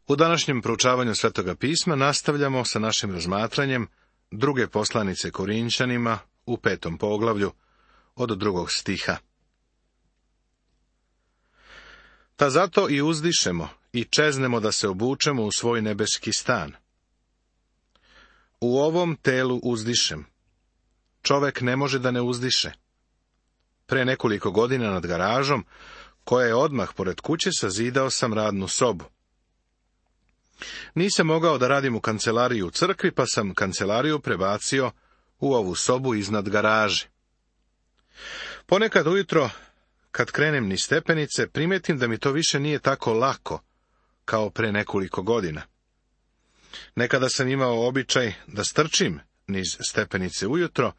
U današnjem proučavanju Svetoga pisma nastavljamo sa našim razmatranjem druge poslanice Korinčanima u 5. poglavlju od 2. stiha. Ta zato i uzdišemo i čeznemo da se obučemo u svoj nebeski stan. U ovom telu uzdišem. Čovek ne može da ne uzdiše. Pre nekoliko godina nad garažom, koja je odmah pored kuće, sazidao sam radnu sobu. Nisam mogao da radim u kancelariji u crkvi, pa sam kancelariju prebacio u ovu sobu iznad garaže. Ponekad ujutro, kad krenem niz stepenice, primetim da mi to više nije tako lako kao pre nekoliko godina. Nekada sam imao običaj da strčim niz stepenice ujutro,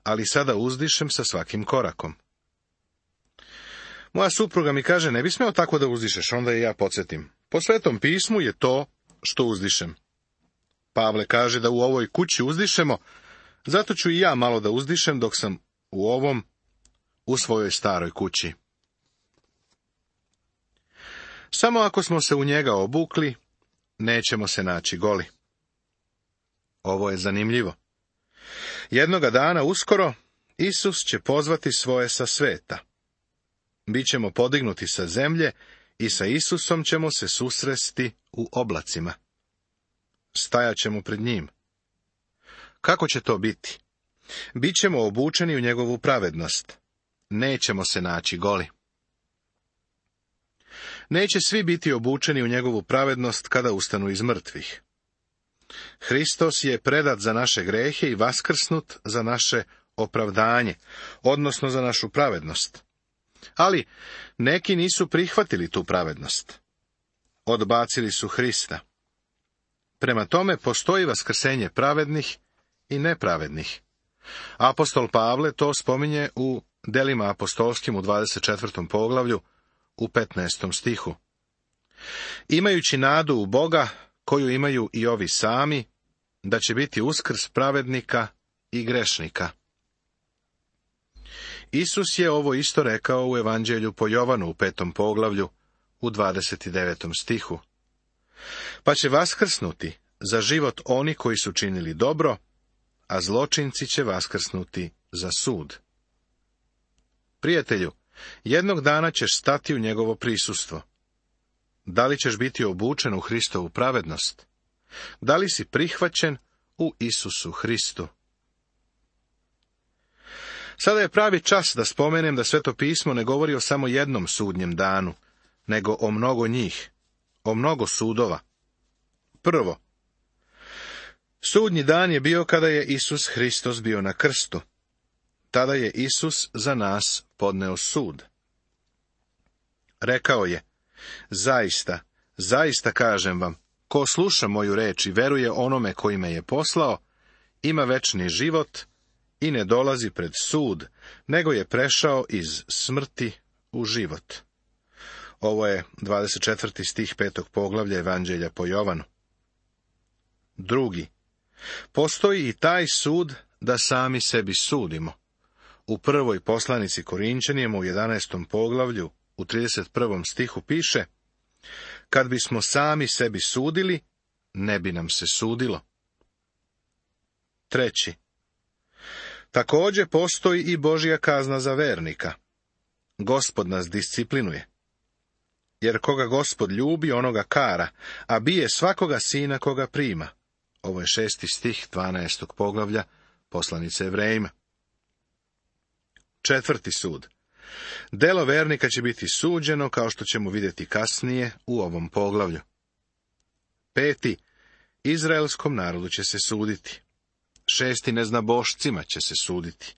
ali sada uzdišem sa svakim korakom. Moja supruga mi kaže, ne bi smeo tako da uzdišeš, onda i ja podsjetim. Po Svetom pismu je to što uzdišem. Pavle kaže da u ovoj kući uzdišemo, zato ću i ja malo da uzdišem dok sam u svojoj staroj kući. Samo ako smo se u njega obukli, nećemo se naći goli. Ovo je zanimljivo. Jednoga dana uskoro Isus će pozvati svoje sa sveta. Bićemo podignuti sa zemlje i sa Isusom ćemo se susresti u oblacima. Stajaćemo pred njim. Kako će to biti? Bićemo obučeni u njegovu pravednost. Nećemo se naći goli. Neće svi biti obučeni u njegovu pravednost kada ustanu iz mrtvih. Hristos je predat za naše grehe i vaskrsnut za naše opravdanje, odnosno za našu pravednost. Ali neki nisu prihvatili tu pravednost. Odbacili su Hrista. Prema tome postoji vaskrsenje pravednih i nepravednih. Apostol Pavle to spominje u Delima apostolskim u 24. poglavlju u 15. stihu. Imajući nadu u Boga, koju imaju i ovi sami, da će biti uskrs pravednika i grešnika. Isus je ovo isto rekao u Evanđelju po Jovanu u 5. poglavlju u 29. stihu. Pa će vaskrsnuti za život oni koji su činili dobro, a zločinci će vaskrsnuti za sud. Prijatelju, jednog dana ćeš stati u njegovo prisustvo. Da li ćeš biti obučen u Hristovu pravednost? Da li si prihvaćen u Isusu Hristu? Sada je pravi čas da spomenem da Sveto pismo ne govori o samo jednom sudnjem danu, nego o mnogo njih, o mnogo sudova. Prvo, sudnji dan je bio kada je Isus Hristos bio na krstu. Tada je Isus za nas podneo sud. Rekao je, zaista, zaista kažem vam, ko sluša moju reč i veruje onome koji me je poslao, ima večni život i ne dolazi pred sud, nego je prešao iz smrti u život. Ovo je 24. stih 5. poglavlja Evanđelja po Jovanu. Drugi, postoji i taj sud da sami sebi sudimo. U prvoj poslanici Korinčanima u 11. poglavlju u 31. stihu piše, kad bismo sami sebi sudili, ne bi nam se sudilo. Treći, također postoji i Božja kazna za vernika. Gospod nas disciplinuje. Jer koga Gospod ljubi, onoga kara, a bije svakoga sina koga prima. Ovo je 6. stih 12. poglavlja poslanice Evrejima. Četvrti sud. Delo vernika će biti suđeno, kao što ćemo vidjeti kasnije u ovom poglavlju. Peti, izraelskom narodu će se suditi. Šesti, neznabošcima će se suditi.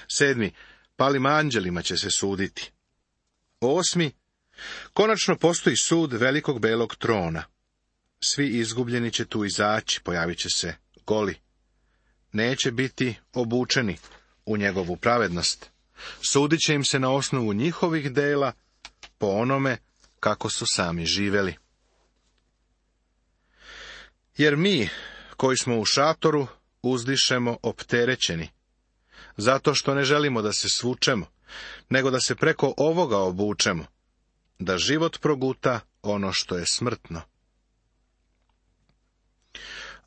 Sedmi, palim anđelima će se suditi. Osmi, konačno postoji sud velikog belog trona. Svi izgubljeni će tu izaći, pojavit će se goli. Neće biti obučeni u njegovu pravednost. Sudit će im se na osnovu njihovih dela, po onome kako su sami živeli. Jer mi, koji smo u šatoru, uzdišemo opterećeni, zato što ne želimo da se svučemo, nego da se preko ovoga obučemo, da život proguta ono što je smrtno.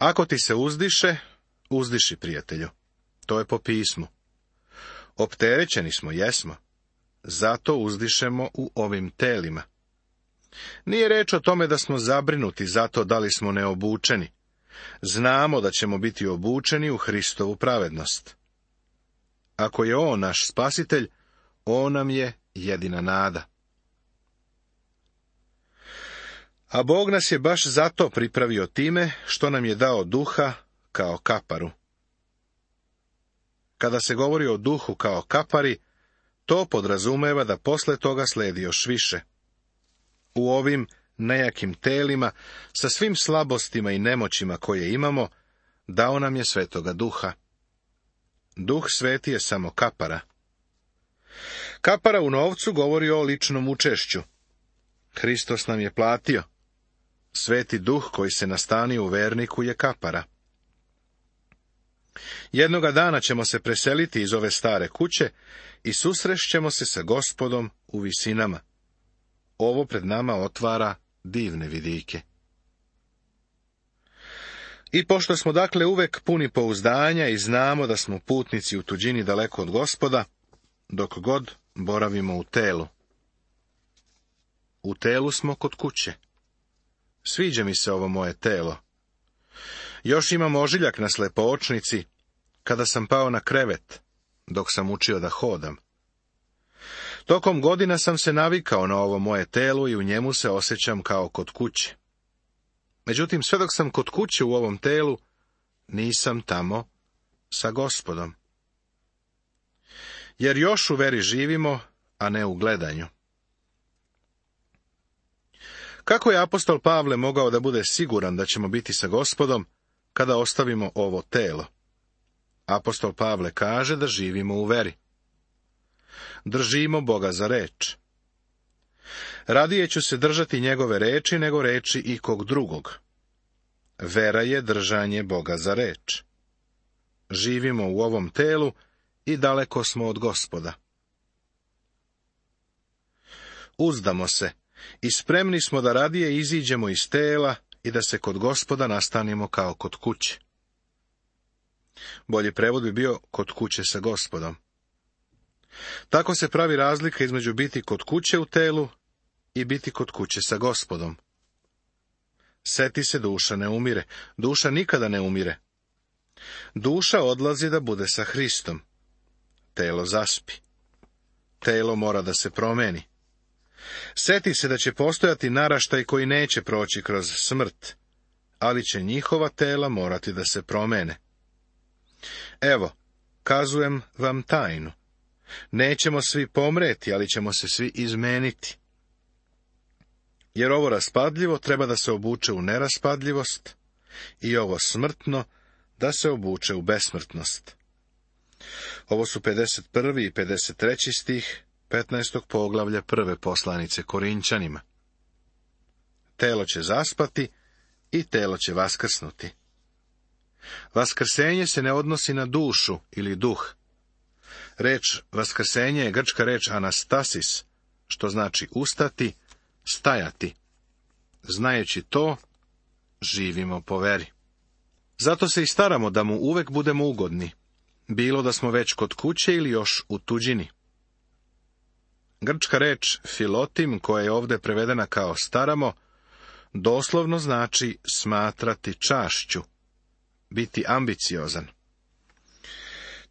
Ako ti se uzdiše, uzdiši, prijatelju. To je po pismu. Opterećeni smo, jesmo. Zato uzdišemo u ovim telima. Nije reč o tome da smo zabrinuti zato da li smo neobučeni. Znamo da ćemo biti obučeni u Hristovu pravednost. Ako je on naš spasitelj, on nam je jedina nada. A Bog nas je baš zato pripravio time što nam je dao duha kao kaparu. Kada se govori o duhu kao kapari, to podrazumeva da posle toga sledi još više. U ovim nejakim telima, sa svim slabostima i nemoćima koje imamo, dao nam je Svetoga Duha. Duh Sveti je samo kapara. Kapara u novcu govori o ličnom učešću. Hristos nam je platio. Sveti Duh koji se nastanio u verniku je kapara. Jednoga dana ćemo se preseliti iz ove stare kuće i susrešćemo se sa Gospodom u visinama. Ovo pred nama otvara divne vidike. I pošto smo dakle uvek puni pouzdanja i znamo da smo putnici u tuđini daleko od Gospoda, dok god boravimo u telu. U telu smo kod kuće. Sviđa mi se ovo moje telo. Još imam ožiljak na slepočnici, kada sam pao na krevet, dok sam učio da hodam. Tokom godina sam se navikao na ovo moje telo i u njemu se osjećam kao kod kuće. Međutim, sve dok sam kod kuće u ovom telu, nisam tamo sa Gospodom. Jer još u veri živimo, a ne u gledanju. Kako je apostol Pavle mogao da bude siguran da ćemo biti sa Gospodom kada ostavimo ovo telo? Apostol Pavle kaže da živimo u veri. Držimo Boga za reč. Radije ću se držati njegove reči nego reči ikog drugog. Vera je držanje Boga za reč. Živimo u ovom telu i daleko smo od Gospoda. Uzdamo se i spremni smo da radije iziđemo iz tela i da se kod Gospoda nastanimo kao kod kuće. Bolji prevod bi bio kod kuće sa Gospodom. Tako se pravi razlika između biti kod kuće u telu i biti kod kuće sa Gospodom. Seti se, duša ne umire. Duša nikada ne umire. Duša odlazi da bude sa Hristom. Telo zaspi. Telo mora da se promeni. Seti se da će postojati naraštaj koji neće proći kroz smrt, ali će njihova tela morati da se promene. Evo, kazujem vam tajnu. Nećemo svi pomreti, ali ćemo se svi izmeniti. Jer ovo raspadljivo treba da se obuče u neraspadljivost i ovo smrtno da se obuče u besmrtnost. Ovo su 51. i 53. stih 15. poglavlja 1. poslanice Korinćanima. Telo će zaspati i telo će vaskrsnuti. Vaskrsenje se ne odnosi na dušu ili duh. Reč vaskrsenje je grčka reč anastasis, što znači ustati, stajati. Znajući to, živimo po veri. Zato se i staramo da mu uvek budemo ugodni, bilo da smo već kod kuće ili još u tuđini. Grčka reč filotim, koja je ovdje prevedena kao staramo, doslovno znači smatrati čašću, biti ambiciozan.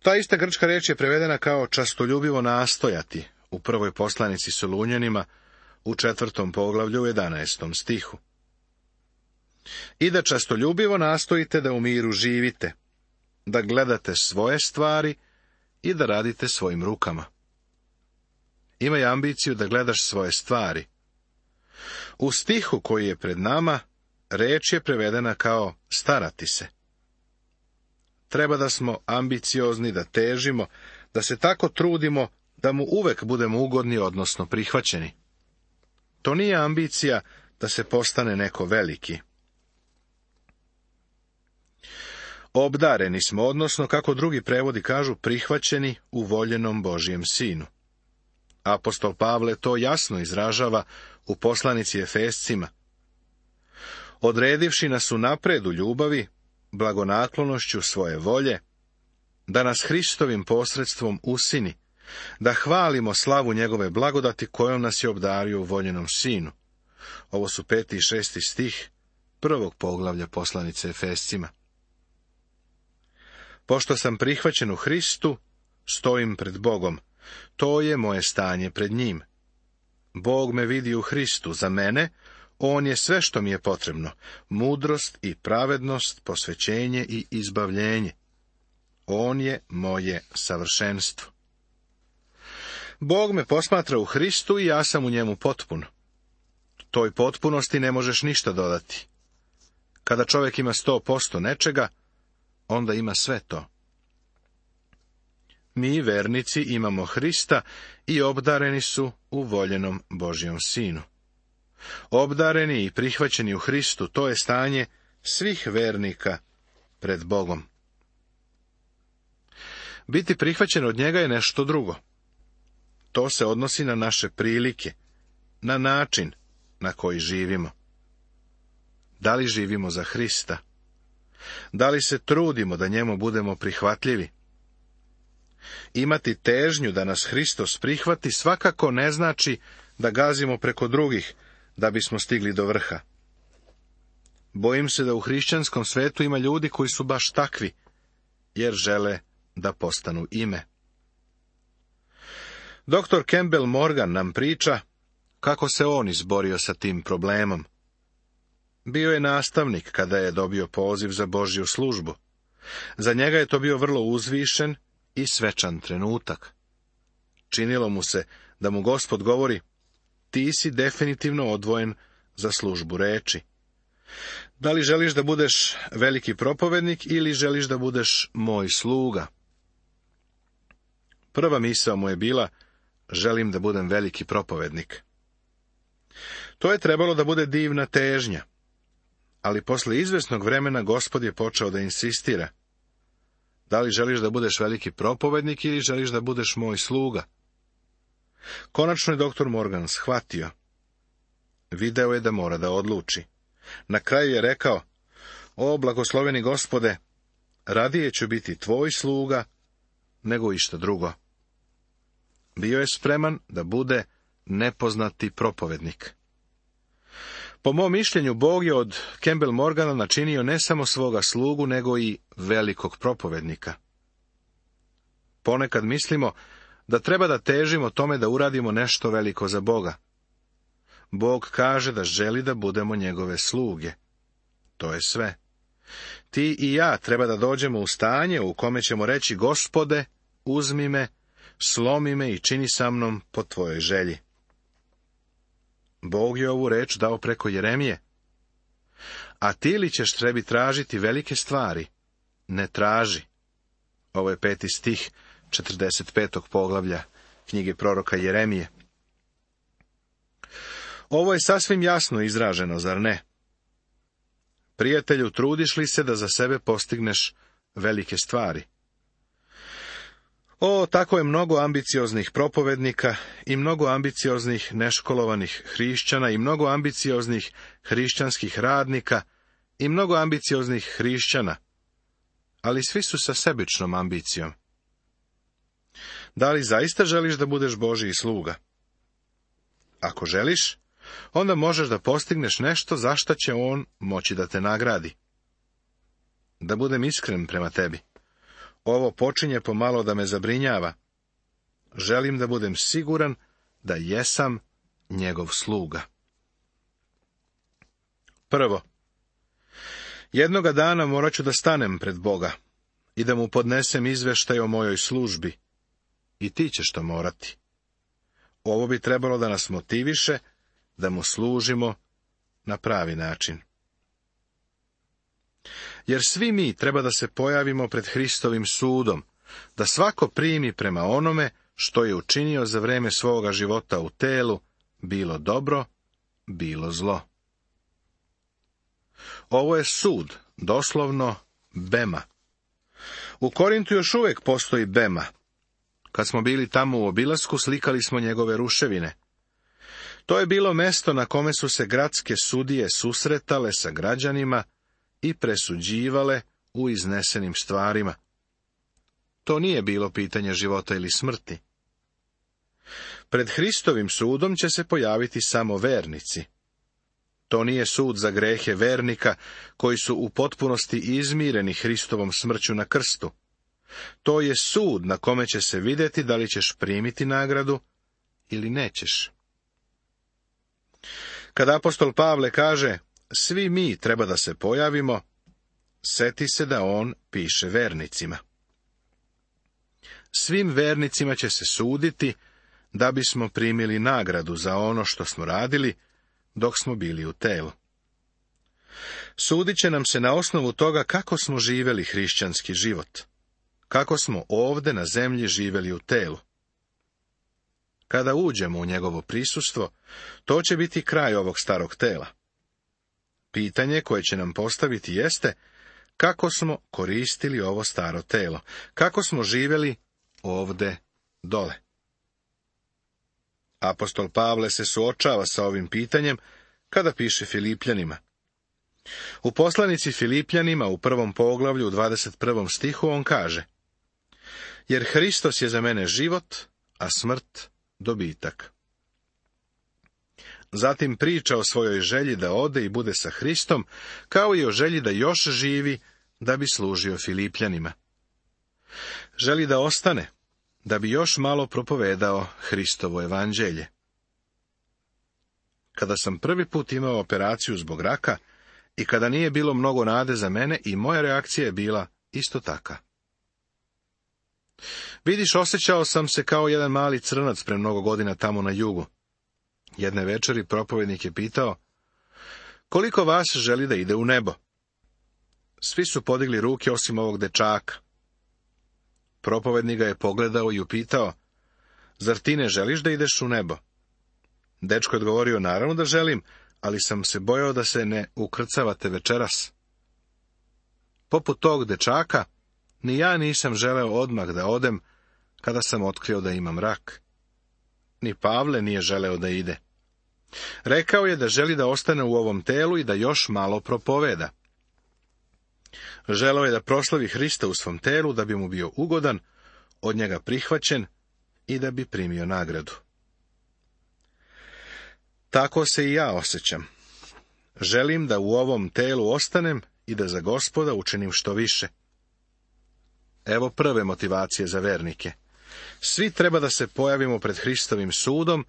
Ta ista grčka reč je prevedena kao častoljubivo nastojati u prvoj poslanici Solunjanima u 4. poglavlju u 11. stihu. I da častoljubivo nastojite da u miru živite, da gledate svoje stvari i da radite svojim rukama. Imaj ambiciju da gledaš svoje stvari. U stihu koji je pred nama, reč je prevedena kao starati se. Treba da smo ambiciozni, da težimo, da se tako trudimo da mu uvek budemo ugodni, odnosno prihvaćeni. To nije ambicija da se postane neko veliki. Obdareni smo, odnosno, kako drugi prevodi kažu, prihvaćeni u voljenom Božjem sinu. Apostol Pavle to jasno izražava u poslanici Efescima. Odredivši nas unapred u ljubavi, blagonaklonošću svoje volje, da nas Hristovim posredstvom usini, da hvalimo slavu njegove blagodati kojom nas je obdario u voljenom sinu. Ovo su 5. i 6. stih 1. poglavlja poslanice Efescima. Pošto sam prihvaćen u Hristu, stojim pred Bogom. To je moje stanje pred njim. Bog me vidi u Hristu. Za mene on je sve što mi je potrebno. Mudrost i pravednost, posvećenje i izbavljenje. On je moje savršenstvo. Bog me posmatra u Hristu i ja sam u njemu potpun. Toj potpunosti ne možeš ništa dodati. Kada čovjek ima 100% nečega, onda ima sve to. Mi, vernici, imamo Hrista i obdareni su u voljenom Božjom sinu. Obdareni i prihvaćeni u Hristu, to je stanje svih vernika pred Bogom. Biti prihvaćen od njega je nešto drugo. To se odnosi na naše prilike, na način na koji živimo. Da li živimo za Hrista? Da li se trudimo da njemu budemo prihvatljivi? Imati težnju da nas Hristos prihvati svakako ne znači da gazimo preko drugih da bismo stigli do vrha. Bojim se da u hrišćanskom svetu ima ljudi koji su baš takvi, jer žele da postanu ime. Dr. Campbell Morgan nam priča kako se on izborio sa tim problemom. Bio je nastavnik kada je dobio poziv za Božju službu. Za njega je to bio vrlo uzvišen i svečan trenutak. Činilo mu se da mu Gospod govori: ti si definitivno odvojen za službu reči. Da li želiš da budeš veliki propovednik ili želiš da budeš moj sluga? Prva misao mu je bila: želim da budem veliki propovednik. To je trebalo da bude divna težnja, ali posle izvesnog vremena Gospod je počeo da insistira: da li želiš da budeš veliki propovednik ili želiš da budeš moj sluga? Konačno je dr. Morgan shvatio. Video je da mora da odluči. Na kraju je rekao: o, blagosloveni Gospode, radije ću biti tvoj sluga nego išta drugo. Bio je spreman da bude nepoznati propovednik. Po mom mišljenju, Bog je od Campbell Morgana načinio ne samo svoga slugu, nego i velikog propovednika. Ponekad mislimo da treba da težimo tome da uradimo nešto veliko za Boga. Bog kaže da želi da budemo njegove sluge. To je sve. Ti i ja treba da dođemo u stanje u kome ćemo reći: Gospode, uzmi me, slomi me i čini sa mnom po tvojoj želji. Bog je ovu reč dao preko Jeremije. A ti li ćeš trebi tražiti velike stvari? Ne traži. Ovo je 5. stih 45. poglavlja knjige proroka Jeremije. Ovo je sasvim jasno izraženo, zar ne? Prijatelju, trudiš li se da za sebe postigneš velike stvari? O, tako je mnogo ambicioznih propovednika i mnogo ambicioznih neškolovanih hrišćana i mnogo ambicioznih hrišćanskih radnika i mnogo ambicioznih hrišćana, ali svi su sa sebičnom ambicijom. Da li zaista želiš da budeš Božji sluga? Ako želiš, onda možeš da postigneš nešto za šta će on moći da te nagradi. Da budem iskren prema tebi. Ovo počinje pomalo da me zabrinjava. Želim da budem siguran da jesam njegov sluga. Prvo, jednoga dana morat ću da stanem pred Boga i da mu podnesem izveštaj o mojoj službi. I ti ćeš to morati. Ovo bi trebalo da nas motiviše da mu služimo na pravi način. Jer svi mi treba da se pojavimo pred Hristovim sudom, da svako primi prema onome što je učinio za vreme svoga života u telu, bilo dobro, bilo zlo. Ovo je sud, doslovno bema. U Korintu još uvijek postoji bema. Kad smo bili tamo u obilasku, slikali smo njegove ruševine. To je bilo mesto na kome su se gradske sudije susretale sa građanima i presuđivale u iznesenim stvarima. To nije bilo pitanje života ili smrti. Pred Hristovim sudom će se pojaviti samo vernici. To nije sud za grehe vernika koji su u potpunosti izmireni Hristovom smrću na krstu. To je sud na kome će se vidjeti da li ćeš primiti nagradu ili nećeš. Kada apostol Pavle kaže, svi mi treba da se pojavimo, seti se da on piše vernicima. Svim vernicima će se suditi da bismo primili nagradu za ono što smo radili dok smo bili u telu. Sudit će nam se na osnovu toga kako smo živjeli hrišćanski život, kako smo ovdje na zemlji živjeli u telu. Kada uđemo u njegovo prisustvo, to će biti kraj ovog starog tela. Pitanje koje će nam postaviti jeste kako smo koristili ovo staro telo, kako smo živjeli ovdje dole. Apostol Pavle se suočava sa ovim pitanjem kada piše Filipljanima. U poslanici Filipljanima u 1. poglavlju u 21. stihu on kaže: jer Hristos je za mene život, a smrt dobitak. Zatim priča o svojoj želji da ode i bude sa Hristom, kao i o želji da još živi da bi služio Filipljanima. Želi da ostane, da bi još malo propovedao Hristovo evanđelje. Kada sam prvi put imao operaciju zbog raka i kada nije bilo mnogo nade za mene, i moja reakcija je bila isto taka. Vidiš, osjećao sam se kao jedan mali crnac pre mnogo godina tamo na jugu. Jedne večeri propovednik je pitao, koliko vas želi da ide u nebo? Svi su podigli ruke osim ovog dečaka. Propovednik ga je pogledao i upitao, zar ti ne želiš da ideš u nebo? Dečko je odgovorio, naravno da želim, ali sam se bojao da se ne ukrcavate večeras. Poput tog dečaka, ni ja nisam želeo odmah da odem kada sam otkrio da imam rak. Ni Pavle nije želeo da ide. Rekao je da želi da ostane u ovom telu i da još malo propoveda. Želeo je da proslavi Hrista u svom telu, da bi mu bio ugodan, od njega prihvaćen i da bi primio nagradu. Tako se i ja osjećam. Želim da u ovom telu ostanem i da za Gospoda učinim što više. Evo prve motivacije za vernike. Svi treba da se pojavimo pred Hristovim sudom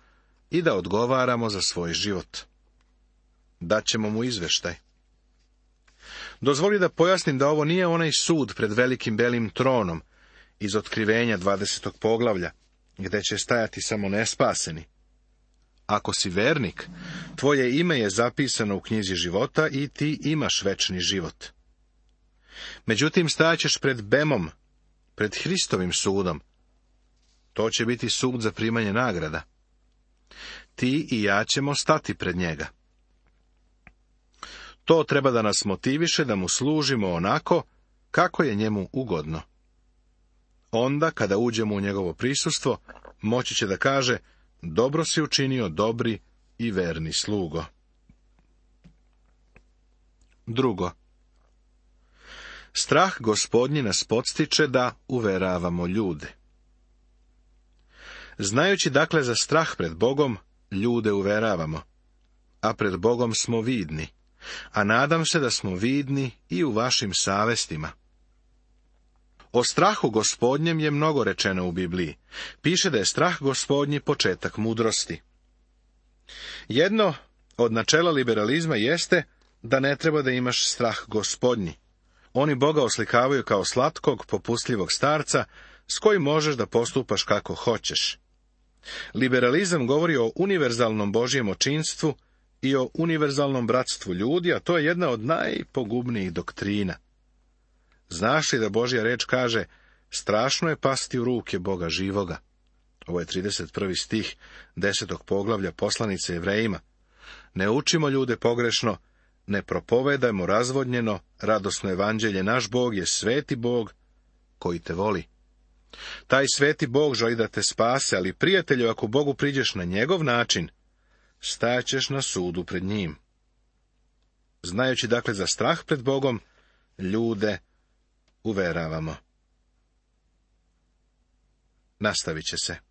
i da odgovaramo za svoj život. Daćemo mu izveštaj. Dozvoli da pojasnim da ovo nije onaj sud pred velikim belim tronom iz Otkrivenja 20. poglavlja, gde će stajati samo nespaseni. Ako si vernik, tvoje ime je zapisano u knjizi života i ti imaš večni život. Međutim, stajaćeš pred Bemom, pred Hristovim sudom. To će biti sud za primanje nagrada. Ti i ja ćemo stati pred njega. To treba da nas motiviše da mu služimo onako kako je njemu ugodno. Onda, kada uđemo u njegovo prisustvo, moći će da kaže, dobro si učinio, dobri i verni slugo. Drugo, strah Gospodnji nas podstiče da uveravamo ljude. Znajući dakle za strah pred Bogom, ljude uveravamo, a pred Bogom smo vidni, a nadam se da smo vidni i u vašim savestima. O strahu Gospodnjem je mnogo rečeno u Bibliji. Piše da je strah Gospodnji početak mudrosti. Jedno od načela liberalizma jeste da ne treba da imaš strah Gospodnji. Oni Boga oslikavaju kao slatkog, popustljivog starca s kojim možeš da postupaš kako hoćeš. Liberalizam govori o univerzalnom Božjem očinstvu i o univerzalnom bratstvu ljudi, a to je jedna od najpogubnijih doktrina. Znaš li da Božja reč kaže, strašno je pasti u ruke Boga živoga? Ovo je 31. stih 10. poglavlja poslanice Jevrejima. Ne učimo ljude pogrešno, ne propovedajmo razvodnjeno, radosno evanđelje, naš Bog je sveti Bog koji te voli. Taj sveti Bog želi da te spase, ali prijatelju, ako Bogu priđeš na njegov način, stajaćeš na sudu pred njim. Znajući dakle za strah pred Bogom, ljude uveravamo. Nastavit će se.